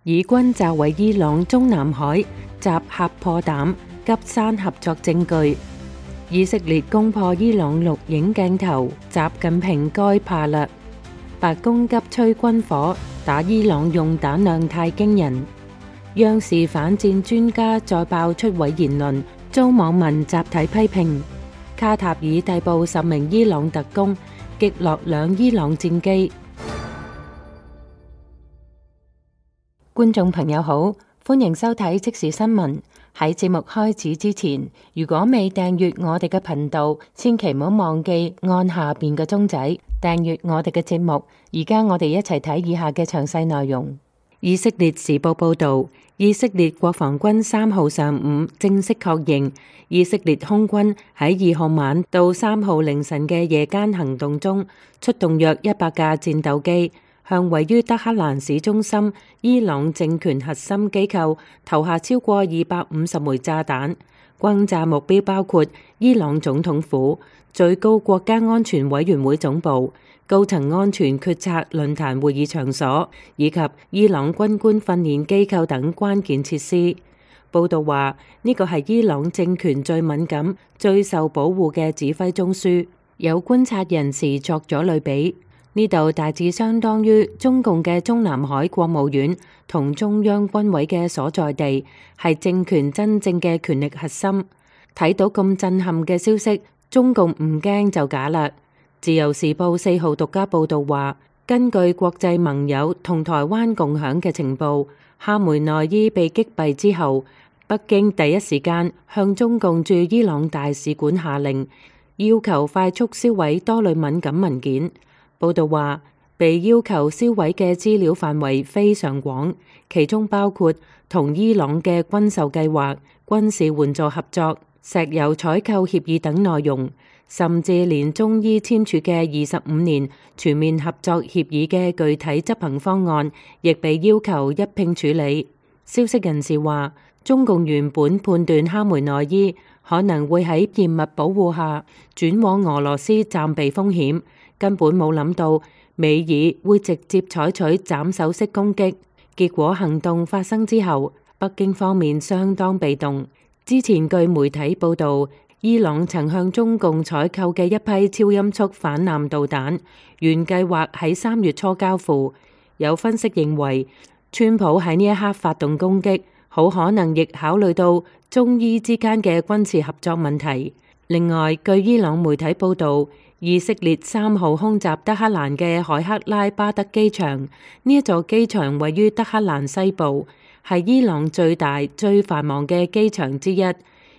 以軍炸毀伊朗中南海襲喀破膽急刪合作證據。以色列攻破伊朗錄影鏡頭，習近平該怕嘞。白宮急催軍火，打伊朗用彈量太驚人。央視反戰專家再爆出位言論，遭網民集體批評。卡塔爾逮捕10名伊朗特工，擊落2伊朗戰機。觀眾朋友好，歡迎收睇即時新聞。喺節目開始之前，如果未訂閱我哋嘅頻道，千祈唔好忘記按下邊嘅鐘仔訂閱我哋嘅節目。而家我哋一齊睇以下嘅詳細內容。以色列時報報道，以色列國防軍3號上午正式確認，以色列空軍喺2號晚到3號凌晨嘅夜間行動中，出動約100架戰鬥機，向位於德黑蘭市中心伊朗政權核心機構投下超過250枚炸彈，轟炸目標包括伊朗總統府、最高國家安全委員會總部、高層安全決策論壇會議場所以及伊朗軍官訓練機構等關鍵設施。報道話，呢個係伊朗政權最敏感、最受保護嘅指揮中樞。有觀察人士作咗類比，呢度大致相當於中共嘅中南海國務院同中央軍委嘅所在地，係政權真正嘅權力核心。睇到咁震撼嘅消息，中共唔驚就假啦。自由時報4號獨家報道話，根據國際盟友同台灣共享嘅情報，哈梅內伊被擊斃之後，北京第一時間向中共駐伊朗大使館下令，要求快速銷毀多類敏感文件。報道話，被要求銷毀嘅資料範圍非常廣，其中包括同伊朗嘅軍售計劃、軍事援助合作、石油採購協議等內容，甚至連中伊簽署嘅25年全面合作協議嘅具體執行方案，亦被要求一併處理。消息人士話，中共原本判斷哈梅內伊可能會喺嚴密保護下轉往俄羅斯暫避風險，根本冇諗到美爾會直接採取斬首式攻擊。結果行動發生之後，北京方面相當被動。之前據媒體報道，伊朗曾向中共採購嘅一批超音速反艦導彈，原計劃喺3月初交付。有分析認為，川普喺呢一刻發動攻擊，好可能亦考慮到中伊之間嘅軍事合作問題。另外，據伊朗媒體報道，以色列3號空襲德黑蘭嘅海克拉巴德機場，呢一座機場位於德黑蘭西部，係伊朗最大、最繁忙嘅機場之一。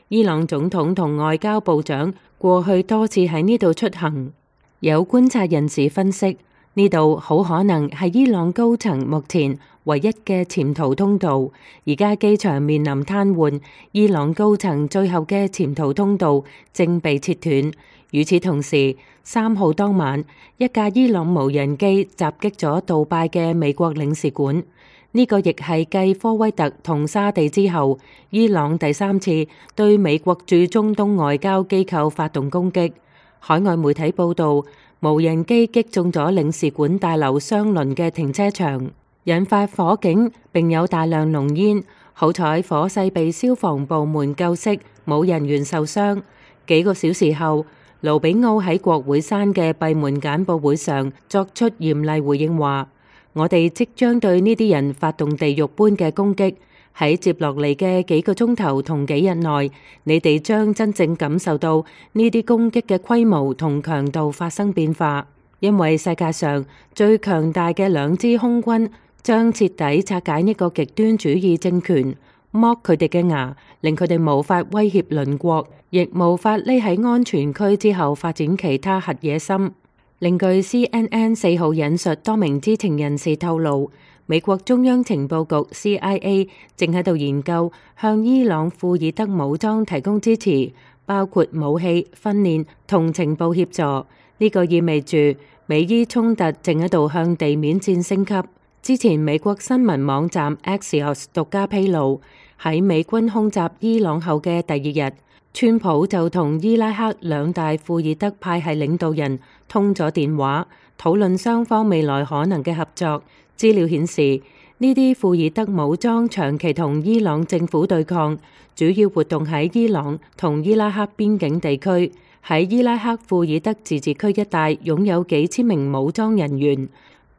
伊朗總統同外交部長過去多次喺呢度出行。有觀察人士分析，呢度好可能係伊朗高層目前唯一嘅潛逃通道。而家機場面臨癱瘓，伊朗高層最後嘅潛逃通道正被切斷。與此同時，3號當晚，一架伊朗無人機襲擊咗杜拜嘅美國領事館。呢個亦係繼科威特同沙地之後，伊朗第3次對美國駐中東外交機構發動攻擊。海外媒體報道，無人機擊中咗領事館大樓相鄰嘅停車場，引發火警並有大量濃煙。好彩火勢被消防部門救熄，冇人員受傷。幾個小時後，盧比奧喺國會山嘅閉門簡報會上作出嚴厲回應，話：我哋即將對呢啲人發動地獄般嘅攻擊，喺接落嚟嘅幾個鐘頭同幾日內，你哋將真正感受到呢啲攻擊嘅規模同強度發生變化，因為世界上最強大嘅2支空軍將徹底拆解呢個極端主義政權，剝佢哋嘅牙，令佢哋無法威脅鄰國，亦無法匿喺安全區之後發展其他核野心。另據 CNN 4號引述多名知情人士透露，美國中央情報局 CIA 正喺度研究向伊朗庫爾德武裝提供支持，包括武器、訓練同情報協助。呢個意味住美伊衝突正喺度向地面戰升級。之前美國新聞網站 Axios 獨家披露，喺美軍空襲伊朗後嘅第2日，川普就同伊拉克2大庫爾德派系領導人通咗電話，討論雙方未來可能嘅合作。資料顯示，呢啲庫爾德武裝長期同伊朗政府對抗，主要活動喺伊朗同伊拉克邊境地區，喺伊拉克庫爾德自治區一帶擁有幾千名武裝人員。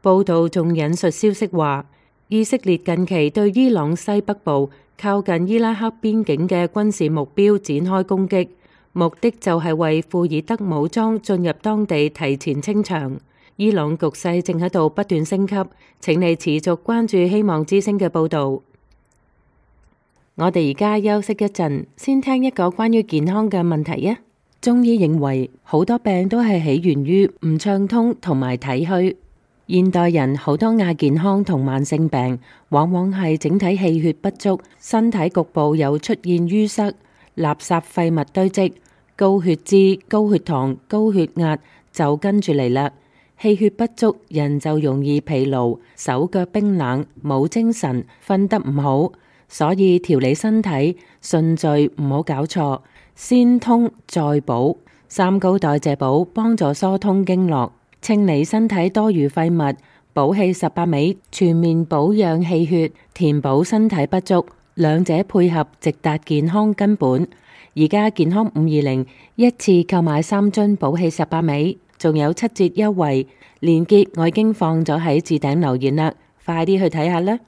報道仲引述消息話，以色列近期對伊朗西北部靠近伊拉克邊境嘅軍事目標展開攻擊，目的就係為庫爾德武裝進入當地提前清場。伊朗局勢正喺度不斷升級，請你持續關注希望之聲嘅報導。我哋而家休息一陣，先聽一個關於健康嘅問題啊！中醫認為好多病都係起源於唔暢通同埋體虛。現代人好多亞健康同慢性病，往往係整體氣血不足，身體局部有出現淤塞、垃圾廢物堆積、高血脂、高血糖、高血壓就跟住嚟啦。氣血不足，人就容易疲勞、手腳冰冷、冇精神、瞓得唔好。所以調理身體順序唔好搞錯，先通再補。三高代謝補幫助疏通經絡，清理身體多餘廢物，補氣18味，全面保養氣血，填補身體不足，兩者配合直達健康根本。而家健康520一次購買3樽補氣18味，仲有7折優惠，鏈接我已經放咗喺置頂留言啦，快啲去睇下啦。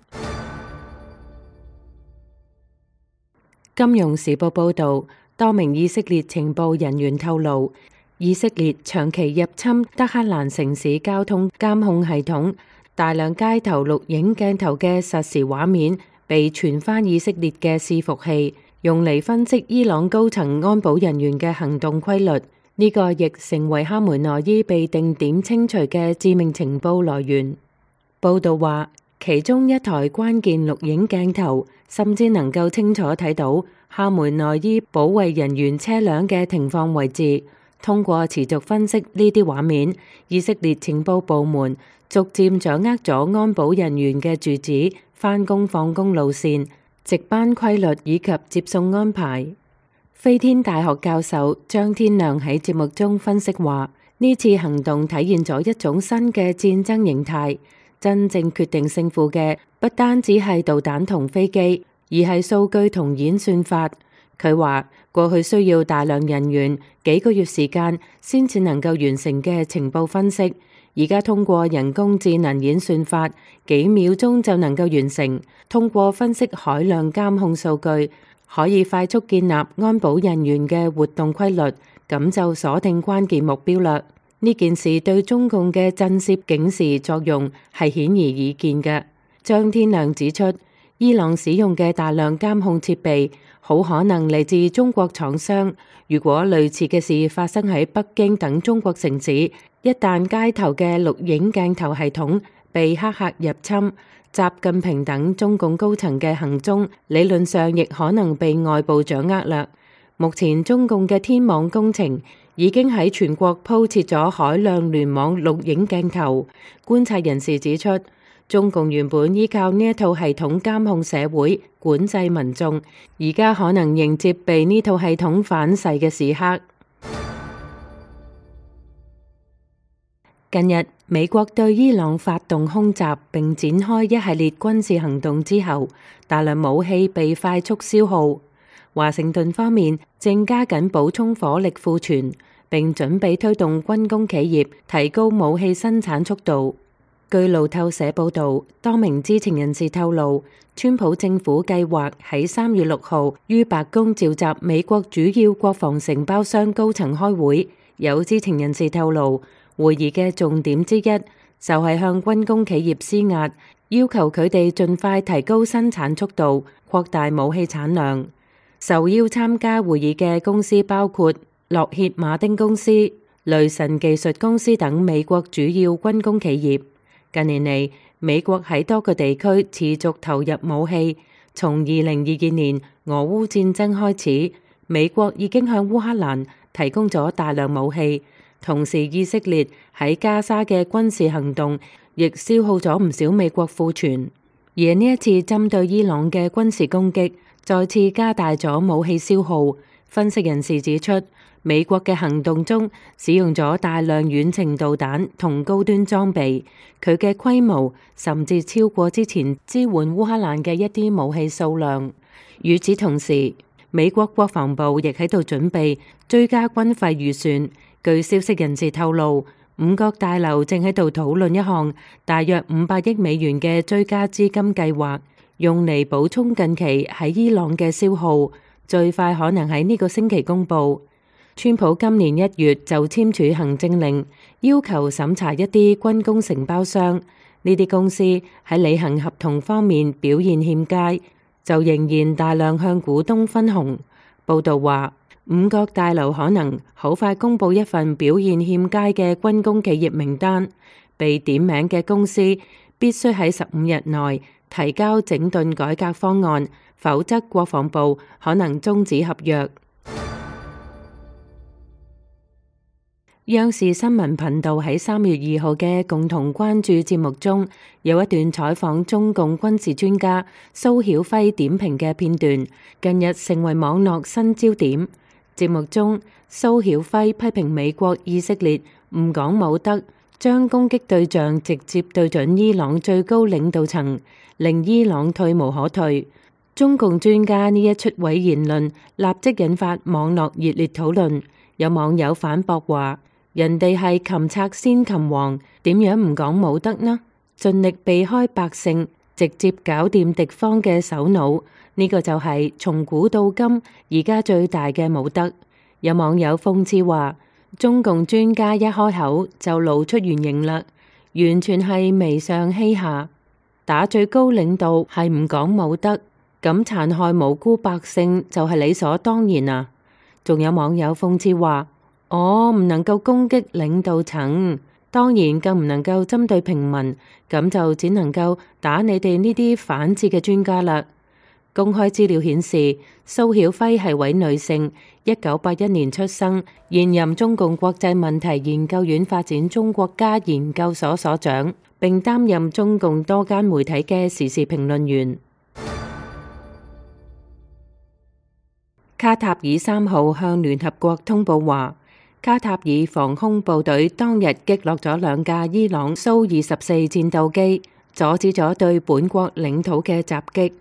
金融時報報道，多名以色列情報人員透露，以色列長期入侵德黑蘭城市交通監控系統，大量街頭錄影鏡頭嘅實時畫面被傳返以色列嘅伺服器，用嚟分析伊朗高層安保人員嘅行動規律。呢個亦成為哈梅內伊被定點清除嘅致命情報來源。報道話，其中一台關鍵錄影鏡頭甚至能夠清楚睇到哈梅內伊保衛人員車輛嘅停放位置。通過持續分析呢啲畫面，以色列情報部門逐漸掌握咗安保人員嘅住址、返工放工路線、值班規律以及接送安排。飛天大學教授張天亮喺節目中分析話，呢次行動體現咗一種新嘅戰爭形態，真正決定勝負嘅不單止係導彈同飛機，而係數據同演算法。佢話過去需要大量人員幾個月時間先至能夠完成嘅情報分析，而家通過人工智能演算法，幾秒鐘就能夠完成。通過分析海量監控數據，可以快速建立安保人員嘅活動規律，咁就鎖定關鍵目標啦。呢件事對中共嘅震懾警示作用係顯而易見嘅。張天亮指出，伊朗使用嘅大量監控設備好可能嚟自中國廠商。如果類似嘅事發生喺北京等中國城市，一旦街頭嘅錄影鏡頭系統被黑客入侵，習近平等中共高層嘅行蹤理論上亦可能被外部掌握啦。目前中共嘅天網工程已經喺全國鋪設咗海量聯網錄影鏡頭。觀察人士指出，中共原本依靠呢一套系統監控社會、管制民眾，而家可能迎接被呢套系統反噬嘅時刻。近日，美國對伊朗發動空襲並展開一系列軍事行動之後，大量武器被快速消耗。華盛頓方面正加緊補充火力庫存，並準備推動軍工企業提高武器生產速度。據路透社報導，多名知情人士透露，川普政府計劃喺3月6號於白宮召集美國主要國防承包商高層開會。有知情人士透露，會議嘅重點之一就係向軍工企業施壓，要求佢哋盡快提高生產速度，擴大武器產量。受邀參加會議嘅公司包括洛歇馬丁公司、雷神技術公司等美國主要軍工企業。近年嚟，美國喺多個地區持續投入武器。從2022年俄烏戰爭開始，美國已經向烏克蘭提供咗大量武器。同時，以色列喺加沙嘅軍事行動亦消耗咗唔少美國庫存。而呢一次針對伊朗嘅軍事攻擊，再次加大咗武器消耗。分析人士指出，美國嘅行動中使用咗大量遠程導彈同高端裝備，佢嘅規模甚至超過之前支援烏克蘭嘅一啲武器數量。與此同時，美國國防部亦喺度準備追加軍費預算。據消息人士透露，五角大樓正喺度討論一項大約500億美元嘅追加資金計劃，用嚟補充近期喺伊朗嘅消耗，最快可能喺呢個星期公佈。川普今年1月就簽署行政令，要求審查一啲軍工承包商，呢啲公司喺履行合同方面表現欠佳，就仍然大量向股東分紅。報道話，五角大樓可能好快公佈一份表現欠佳嘅軍工企業名單，被點名嘅公司必須喺15日內提交整頓改革方案，否則國防部可能終止合約。央視新聞頻道喺3月2號嘅共同關注節目中，有一段採訪中共軍事專家蘇曉輝點評嘅片段，近日成為網絡新焦點。節目中，蘇曉輝批評美國以色列唔講武德，將攻擊對象直接對準伊朗最高領導層，令伊朗退無可退。中共專家呢一出位言論立即引發網絡熱烈討論，有網友反駁話，人哋係擒賊先擒王，點樣唔講武德呢？盡力避開百姓，直接搞掂敵方嘅首腦，呢個就係從古到今而家最大嘅武德。有網友諷刺話，中共專家一開口就露出原形啦，完全係媚上欺下，打最高領導係唔講武德，咁殘害無辜百姓就係理所當然啊！仲有網友諷刺話，我唔能夠攻擊領導層，當然更唔能夠針對平民，咁就只能夠打你哋呢啲反智嘅專家啦。公開資料顯示，蘇曉輝係位女性，1981年出生，現任中共國際問題研究院發展中國家研究所所長，並擔任中共多間媒體嘅時事評論員。卡塔爾3號向聯合國通報話，卡塔爾防空部隊當日擊落咗2架伊朗蘇24戰鬥機，阻止咗對本國領土嘅襲擊。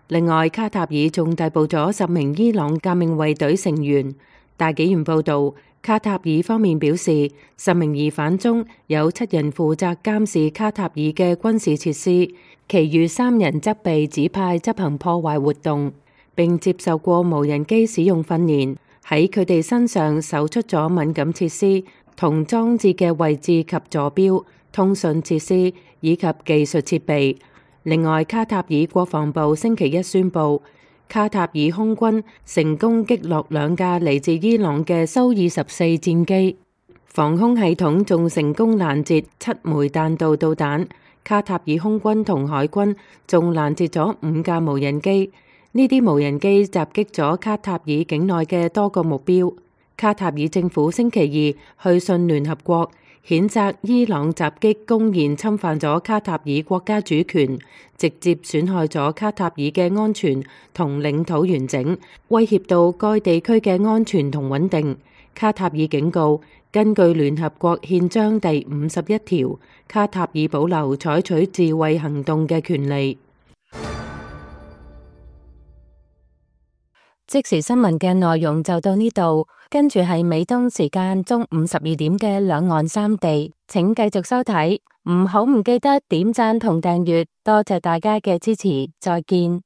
另外，卡塔爾仲逮捕咗10名伊朗革命衛隊成員。大紀元報導，卡塔爾方面表示，10名疑犯中有7人負責監視卡塔爾嘅軍事設施，其餘3人則被指派執行破壞活動，並接受過無人機使用訓練，喺佢哋身上搜出咗敏感設施同裝置嘅位置及坐標、通訊設施以及技術設備。另外，卡塔爾國防部星期一宣布，卡塔爾空軍成功擊落2架嚟自伊朗嘅蘇24戰機，防空系統仲成功攔截7枚彈道導彈。卡塔爾空軍同海軍仲攔截咗5架無人機，呢啲無人機襲擊咗卡塔爾境內嘅多個目標。卡塔爾政府星期二去信聯合國，譴責伊朗襲擊公然侵犯咗卡塔爾國家主權，直接損害咗卡塔爾嘅安全同領土完整，威脅到該地區嘅安全同穩定。卡塔爾警告，根據聯合國憲章第51條，卡塔爾保留採取自衛行動嘅權利。即時新聞嘅內容就到呢度，跟住係美東時間中午12點嘅兩岸三地，請繼續收睇，唔記得點讚同訂閱，多謝大家嘅支持，再見。